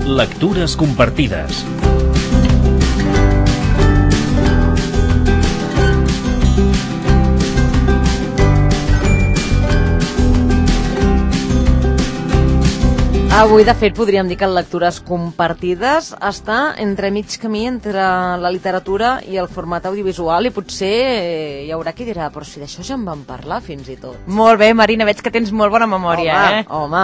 Lectures compartides. Avui, de fet, podríem dir que Lectures compartides està entre mig camí entre la literatura i el format audiovisual i potser hi haurà qui dirà, però si d'això ja en vam parlar fins i tot. Molt bé, Marina, veig que tens molt bona memòria, Home.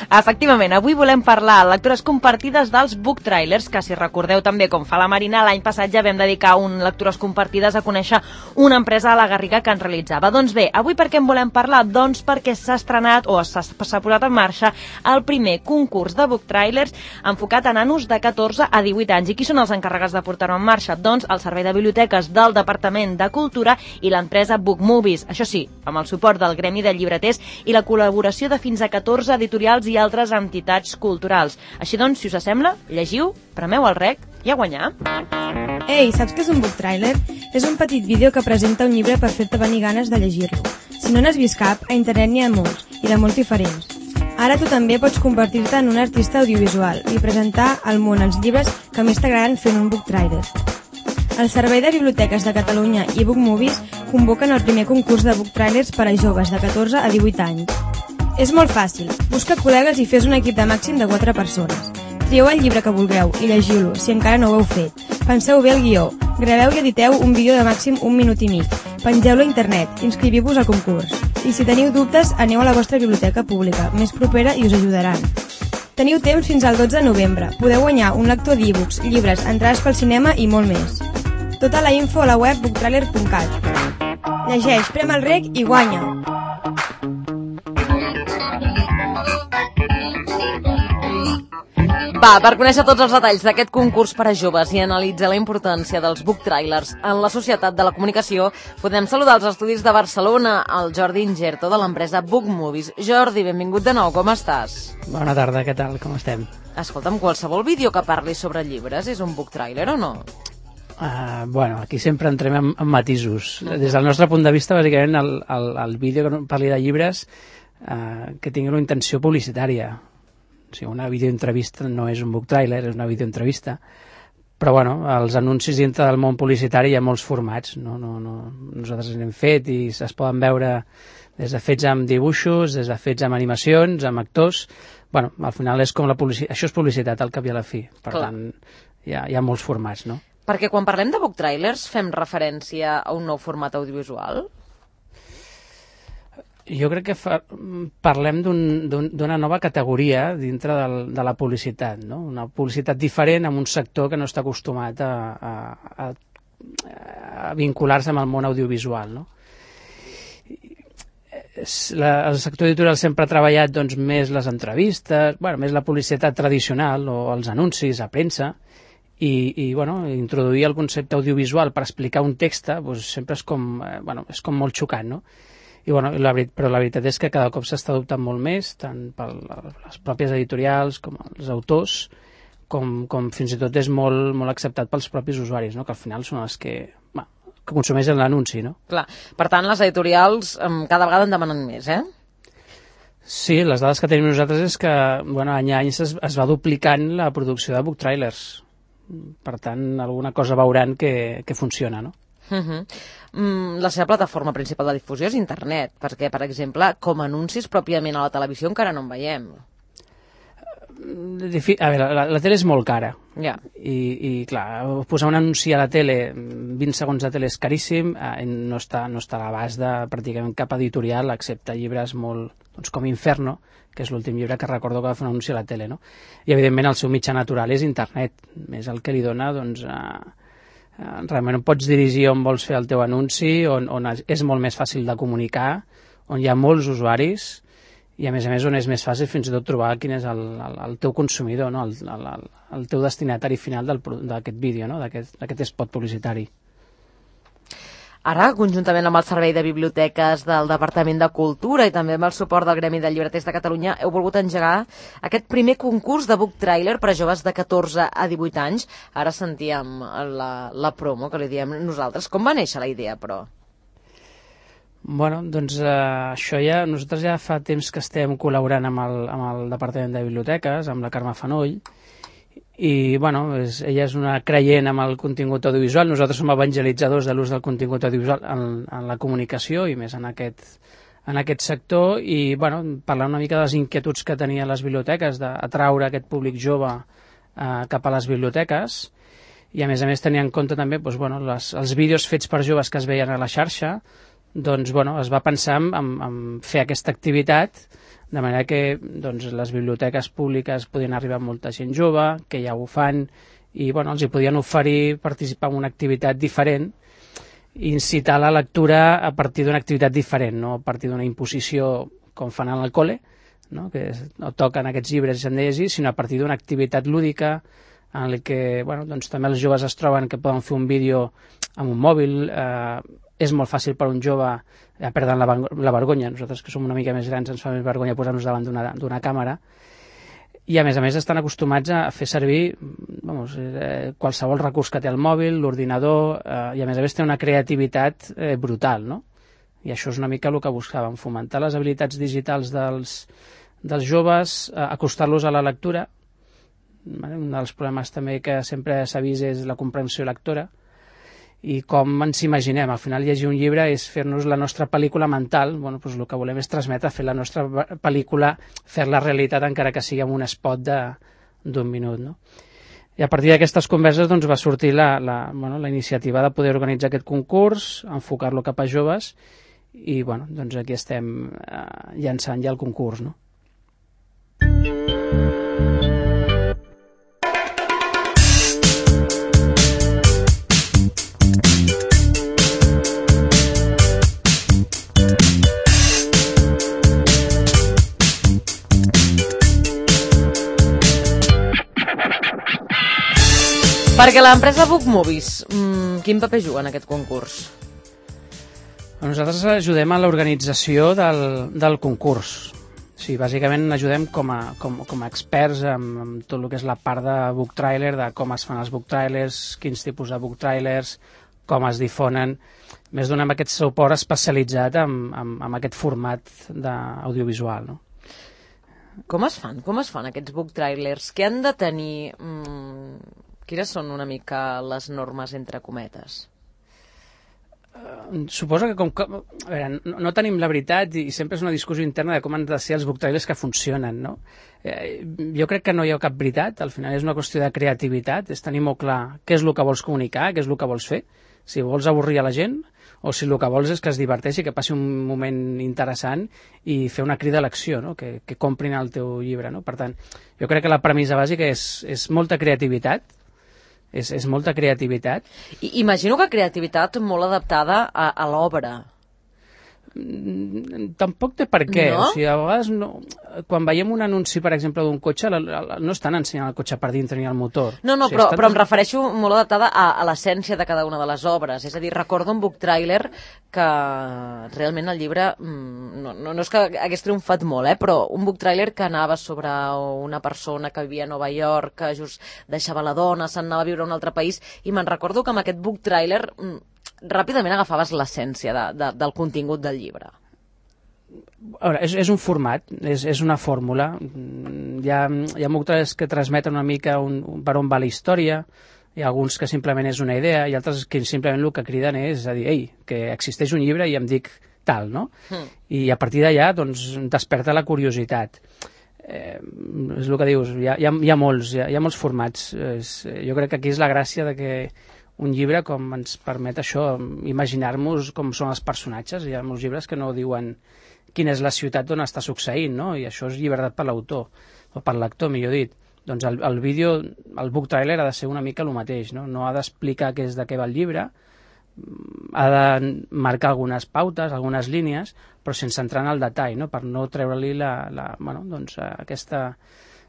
Efectivament, avui volem parlar a Lectures compartides dels book trailers, que si recordeu també, com fa la Marina, l'any passat ja vam dedicar un Lectures compartides a conèixer una empresa a la Garriga que en realitzava. Doncs bé, avui per què en volem parlar? Doncs perquè s'ha estrenat o s'ha posat en marxa el primer concurs de book trailers enfocat a nanos de 14 a 18 anys. I qui són els encarregats de portar-ho en marxa? Doncs el Servei de Biblioteques del Departament de Cultura i l'empresa Book Movies. Això sí, amb el suport del Gremi de Llibreters i la col·laboració de fins a 14 editorials i altres entitats culturals. Així doncs, si us sembla, llegiu, premeu el rec i a guanyar. Ei, saps què és un book trailer? És un petit vídeo que presenta un llibre per fer-te venir ganes de llegir-lo. Si no n'has vist cap, a internet n'hi ha molts, i de molts diferents. Ara tu també pots convertir-te en un artista audiovisual i presentar al món els llibres que més t'agraden fent un book trailer. El Servei de Biblioteques de Catalunya i Book Movies convoquen el primer concurs de book trailers per a joves de 14 a 18 anys. És molt fàcil. Busca col·legues i fes un equip de màxim de 4 persones. Trieu el llibre que vulgueu i llegiu-lo, si encara no ho heu fet. Penseu bé el guió. Graveu i editeu un vídeo de màxim 1 minut i mig. Pengeu-lo a internet. Inscriviu-vos al concurs. I si teniu dubtes, aneu a la vostra biblioteca pública, més propera, i us ajudaran. Teniu temps fins al 12 de novembre. Podeu guanyar un lector d'e-books, llibres, entrades pel cinema i molt més. Tota la info a la web booktrailer.cat. Llegeix, prem el rec i guanya! Va, per conèixer tots els detalls d'aquest concurs per a joves i analitzar la importància dels book trailers en la societat de la comunicació, podem saludar als estudis de Barcelona el Jordi Ingerto de l'empresa Book Movies. Jordi, benvingut de nou, com estàs? Bona tarda, què tal, com estem? Escolta'm, qualsevol vídeo que parli sobre llibres és un book trailer o no? Bueno, aquí sempre entrem en matisos. Des del nostre punt de vista, bàsicament, el vídeo que parli de llibres que tingui una intenció publicitària. O sigui, una videoentrevista no és un book trailer, és una videoentrevista. Però, bueno, els anuncis dintre del món publicitari hi ha molts formats, no? Nosaltres n'hem fet i es poden veure des de fets amb dibuixos, des de fets amb animacions, amb actors. Bueno, al final és com la publicitat. Això és publicitat, al cap i a la fi. Per tant, hi ha molts formats, no? Perquè quan parlem de book trailers fem referència a un nou format audiovisual? Jo crec que parlem d'una nova categoria dintre de la publicitat, no? Una publicitat diferent amb un sector que no està acostumat a vincular-se amb el món audiovisual, no? El sector editorial sempre ha treballat doncs, més les entrevistes, més la publicitat tradicional o els anuncis a premsa, i introduir el concepte audiovisual per explicar un text doncs, sempre és com molt xocant, no? Però la veritat és que cada cop s'està adoptant molt més, tant per les pròpies editorials com els autors, com fins i tot és molt, molt acceptat pels propis usuaris, no? Que al final són els que consumeixen l'anunci, no? Clar, per tant, les editorials cada vegada en demanen més, eh? Sí, les dades que tenim nosaltres és que any a any es va duplicant la producció de book trailers. Per tant, alguna cosa veuran que funciona, no? La seva plataforma principal de difusió és internet, perquè, per exemple, com a anuncis pròpiament a la televisió encara no en veiem. A veure, la tele és molt cara. Ja. I clar, posar un anunci a la tele, 20 segons de tele és caríssim, no està a l'abast de pràcticament cap editorial, excepte llibres molt, doncs, com Inferno, que és l'últim llibre que recordo que va fer un anunci a la tele, no? I, evidentment, el seu mitjà natural és internet. És el que li dona, doncs, realment pots dirigir on vols fer el teu anunci, on és molt més fàcil de comunicar, on hi ha molts usuaris i a més on és més fàcil fins i tot trobar quin és el teu consumidor, no? el teu destinatari final d'aquest vídeo, no? d'aquest spot publicitari. Ara, conjuntament amb el Servei de Biblioteques del Departament de Cultura i també amb el suport del Gremi de Llibreters de Catalunya, heu volgut engegar aquest primer concurs de book trailer per a joves de 14 a 18 anys. Ara sentíem la promo que li diem nosaltres. Com va néixer la idea, però? Bueno, doncs això ja... Nosaltres ja fa temps que estem col·laborant amb el Departament de Biblioteques, amb la Carme Fanoll, i bueno, ella és una creient amb el contingut audiovisual. Nosaltres som evangelitzadors de l'ús del contingut audiovisual en la comunicació i més en aquest sector, i bueno, parlar una mica de les inquietuds que tenia les biblioteques d'atraure aquest públic jove cap a les biblioteques, i a més tenir en compte també doncs, bueno, els vídeos fets per joves que es veien a la xarxa. Doncs bueno, es va pensar en fer aquesta activitat de manera que doncs, les biblioteques públiques podien arribar a molta gent jove, que ja ho fan, i bueno, els hi podien oferir participar en una activitat diferent, i incitar la lectura a partir d'una activitat diferent, no a partir d'una imposició com fan al col·le, no? Que no toquen aquests llibres i s'han de llegir, sinó a partir d'una activitat lúdica en la que bueno, doncs, també els joves es troben que poden fer un vídeo amb un mòbil. És molt fàcil per un jove perdre la vergonya. Nosaltres, que som una mica més grans, ens fa més vergonya posar-nos davant d'una càmera, i a més estan acostumats a fer servir qualsevol recurs que té el mòbil, l'ordinador, i a més té una creativitat brutal, no? I això és una mica el que buscàvem, fomentar les habilitats digitals dels joves, acostar-los a la lectura. Un dels problemes també que sempre s'ha vist és la comprensió lectora, i com ens imaginem. Al final llegir un llibre és fer-nos la nostra pel·lícula mental. Bueno, doncs el que volem és transmetre, fer la nostra pel·lícula, fer-la realitat, encara que sigui amb un spot d'un minut, no? I a partir d'aquestes converses doncs, va sortir la iniciativa de poder organitzar aquest concurs, enfocar-lo cap a joves, i bueno, doncs aquí estem llançant ja el concurs, no? Perquè l'empresa Book Movies, quin paper juga en aquest concurs? Nosaltres ajudem a l'organització del concurs. Sí, bàsicament ajudem com a experts amb tot el que és la part de book trailer, de com es fan els book trailers, quins tipus de book trailers, com es difonen. Més donem aquest suport especialitzat amb aquest format audiovisual, no? Com es fan aquests book trailers? Què han de tenir? Quines són una mica les normes entre cometes? Suposo que a veure, no tenim la veritat, i sempre és una discussió interna de com han de ser els book trailers que funcionen, no? Jo crec que no hi ha cap veritat. Al final és una qüestió de creativitat, és tenir molt clar què és el que vols comunicar, què és el que vols fer, si vols avorrir a la gent o si el que vols és que es diverteixi, que passi un moment interessant i fer una crida a l'acció, no? Que comprin el teu llibre, no? Per tant, jo crec que la premissa bàsica és molta creativitat. És molta creativitat. Imagino que creativitat molt adaptada a l'obra. Tampoc té per què. No? O sigui, a vegades quan veiem un anunci, per exemple, d'un cotxe, no estan ensenyant el cotxe per dintre ni el motor. No, o sigui, però em refereixo molt adaptada a l'essència de cada una de les obres. És a dir, recordo un book trailer que realment el llibre no és que hagués triomfat molt, però un book trailer que anava sobre una persona que vivia a Nova York, que just deixava la dona, se'n anava a viure a un altre país, i me'n recordo que amb aquest book trailer ràpidament agafaves l'essència del contingut del llibre. A veure, és un format, és una fórmula. Hi ha molts que transmeten una mica per on va la història, hi ha alguns que simplement és una idea, i altres que simplement el que criden és a dir, ei, que existeix un llibre i em dic tal, no? I a partir d'allà doncs, desperta la curiositat. És el que dius, hi ha molts formats. Jo crec que aquí és la gràcia de que un llibre com ens permet això, imaginar-nos com són els personatges. Hi ha molts llibres que no diuen quina és la ciutat on està succeint, no? I això és llibertat per l'autor, o per l'actor, millor dit. Doncs el vídeo, el book trailer ha de ser una mica el mateix, no? No ha d'explicar de què va el llibre, ha de marcar algunes pautes, algunes línies, però sense entrar en el detall, no? Per no treure-li aquesta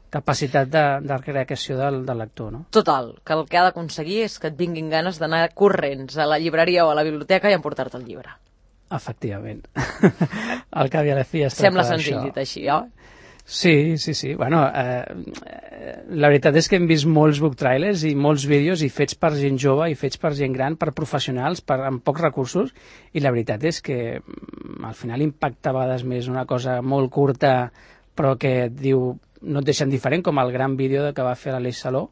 capacitat de creació del lector, no? Total, que el que ha d'aconseguir és que et vinguin ganes d'anar corrents a la llibreria o a la biblioteca i emportar-te el llibre. Efectivament. Al cap i a la fi es tracta Sembla senzill dit així, oi? Sí. Bueno, la veritat és que hem vist molts book trailers i molts vídeos i fets per gent jove i fets per gent gran, per professionals, amb pocs recursos, i la veritat és que al final impacta a vegades més una cosa molt curta però que et diu, no et deixen diferent, com el gran vídeo que va fer l'Aleix Saló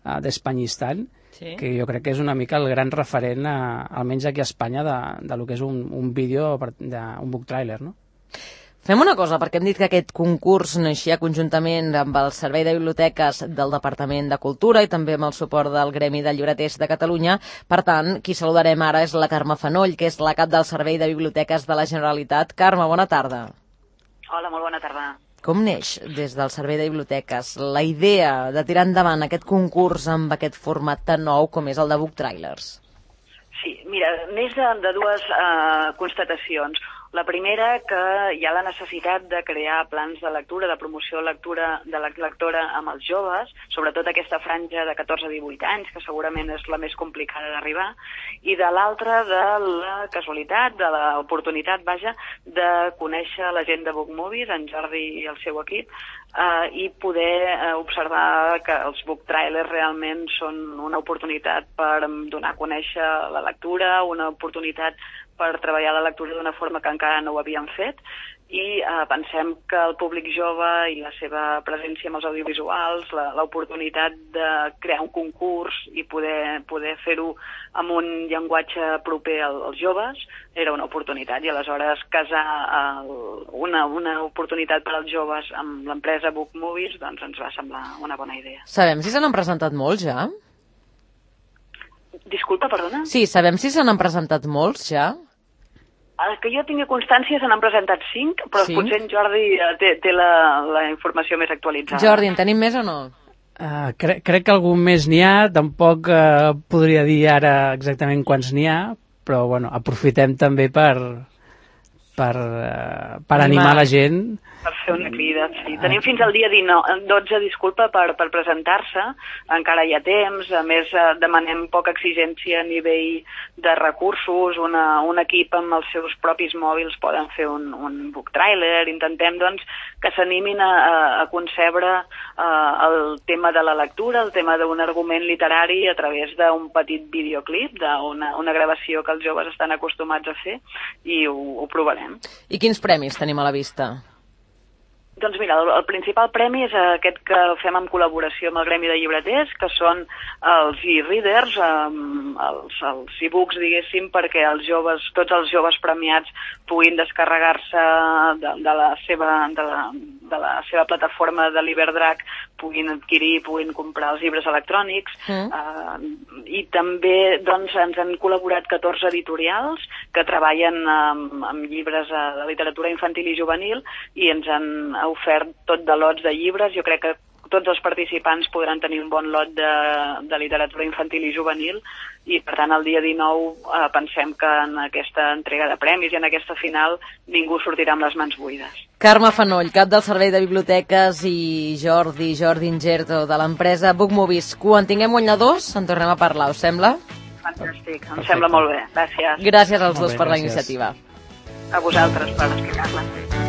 d'Espanyistan, Sí. que jo crec que és una mica el gran referent, almenys aquí a Espanya, de lo que és un vídeo, un book trailer, no? Fem una cosa, perquè hem dit que aquest concurs naixia conjuntament amb el Servei de Biblioteques del Departament de Cultura i també amb el suport del Gremi de Llibreters de Catalunya. Per tant, qui saludarem ara és la Carme Fanoll, que és la cap del Servei de Biblioteques de la Generalitat. Carme, bona tarda. Hola, molt bona tarda. Com neix des del Servei de Biblioteques la idea de tirar endavant aquest concurs amb aquest format tan nou com és el de Book Trailers? Sí, mira, neix de dues constatacions. La primera, que hi ha la necessitat de crear plans de lectura, de promoció de la lectora amb els joves, sobretot aquesta franja de 14 a 18 anys, que segurament és la més complicada d'arribar, i de l'altra, de la casualitat, de l'oportunitat, vaja, de conèixer la gent de Book Movies, en Jordi i el seu equip, i poder observar que els book trailers realment són una oportunitat per donar a conèixer la lectura, una oportunitat per treballar la lectura d'una forma que encara no ho havíem fet, i pensem que el públic jove i la seva presència amb els audiovisuals, l'oportunitat de crear un concurs i poder fer-ho amb un llenguatge proper als joves era una oportunitat, i aleshores casar una oportunitat per als joves amb l'empresa Book Movies doncs ens va semblar una bona idea. Sabem si se n'han presentat molts ja? Disculpa, perdona? Sí, sabem si se n'han presentat molts ja? Que jo tingui constància se n'han presentat 5, però Sí? potser en Jordi té la informació més actualitzada. Jordi, en tenim més o no? Crec que algun més n'hi ha, tampoc podria dir ara exactament quants n'hi ha, però bueno, aprofitem també per animar la gent. Per fer una crida, sí. Tenim fins al dia 12, disculpa, per presentar-se. Encara hi ha temps. A més, demanem poca exigència a nivell de recursos. Un equip amb els seus propis mòbils poden fer un book trailer. Intentem, doncs, que s'animin a concebre el tema de la lectura, el tema d'un argument literari a través d'un petit videoclip, d'una gravació que els joves estan acostumats a fer, i ho provarem. I quins premis tenim a la vista? Doncs mira, el principal premi és aquest que fem en col·laboració amb el Gremi de Llibreters, que són els e-readers, els e-books, diguéssim, perquè tots els joves premiats puguin descarregar-se de la seva plataforma de l'Iberdrac, puguin adquirir, puguin comprar els llibres electrònics, i també doncs, ens han col·laborat 14 editorials que treballen amb llibres de literatura infantil i juvenil, i ens han ofert tot de lots de llibres. Jo crec que tots els participants podran tenir un bon lot de literatura infantil i juvenil, i per tant el dia 19 pensem que en aquesta entrega de premis i en aquesta final ningú sortirà amb les mans buides. Carme Fanoll, cap del Servei de Biblioteques, i Jordi Ingerto, de l'empresa Book Movies. Quan tinguem guanyadors en tornem a parlar, us sembla? Fantàstic, em sembla molt bé. Gràcies. Gràcies als dos per la gràcies. iniciativa. A vosaltres per explicar-la.